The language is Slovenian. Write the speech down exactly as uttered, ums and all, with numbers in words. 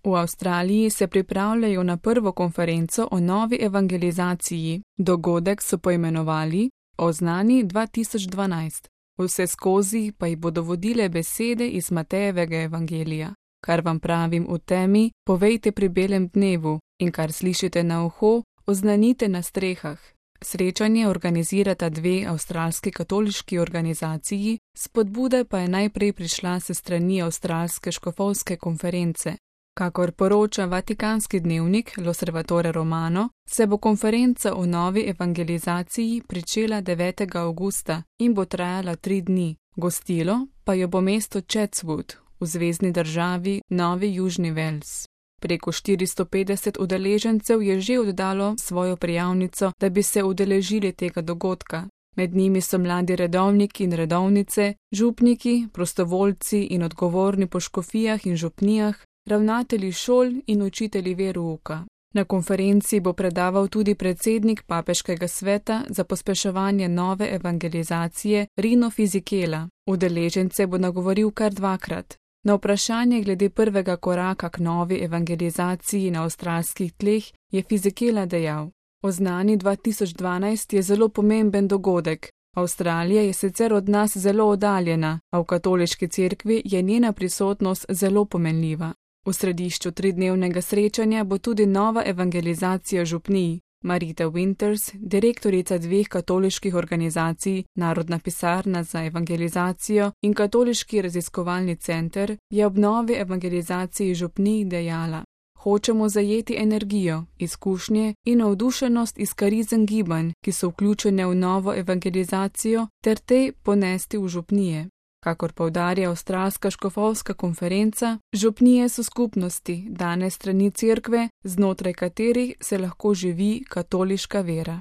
V Avstraliji se pripravljajo na prvo konferenco o novi evangelizaciji. Dogodek so poimenovali Oznani dva tisoč dvanajst. Vse skozi pa jih bodo vodile besede iz Matejevega evangelija. Kar vam pravim v temi, povejte pri belem dnevu, in kar slišite na uho, oznanite na strehah. Srečanje organizirata dve avstralski katoliški organizaciji, spodbuda pa je najprej prišla s strani Avstralske škofovske konference. Kakor poroča vatikanski dnevnik L'Osservatore Romano, se bo konferenca o novi evangelizaciji pričela devetega avgusta in bo trajala tri dni. Gostilo pa jo bo mesto Chatswood v zvezni državi Novi Južni Wales. Preko štiristo petdeset udeležencev je že oddalo svojo prijavnico, da bi se udeležili tega dogodka. Med njimi so mladi redovniki in redovnice, župniki, prostovoljci in odgovorni po škofijah in župnijah, ravnatelji šol in učitelji verouka. Na konferenci bo predaval tudi predsednik papeškega sveta za pospeševanje nove evangelizacije Rino Fisichella. Udeležence bo nagovoril kar dvakrat. Na vprašanje glede prvega koraka k novi evangelizaciji na avstralskih tleh je Fisichella dejal: Oznani dva tisoč dvanajst je zelo pomemben dogodek. Avstralija je sicer od nas zelo oddaljena, a v katoliški cerkvi je njena prisotnost zelo pomenljiva. V središču tridnevnega srečanja bo tudi nova evangelizacija župnij. Marita Winters, direktorica dveh katoliških organizacij, Narodna pisarna za evangelizacijo in Katoliški raziskovalni center, je ob novi evangelizaciji župnij dejala: Hočemo zajeti energijo, izkušnje in navdušenost iz karizem gibanj, ki so vključene v novo evangelizacijo, ter te ponesti v župnije. Kakor poudarja Avstralska škofovska konferenca, župnije so skupnosti, dane strani cerkve, znotraj katerih se lahko živi katoliška vera.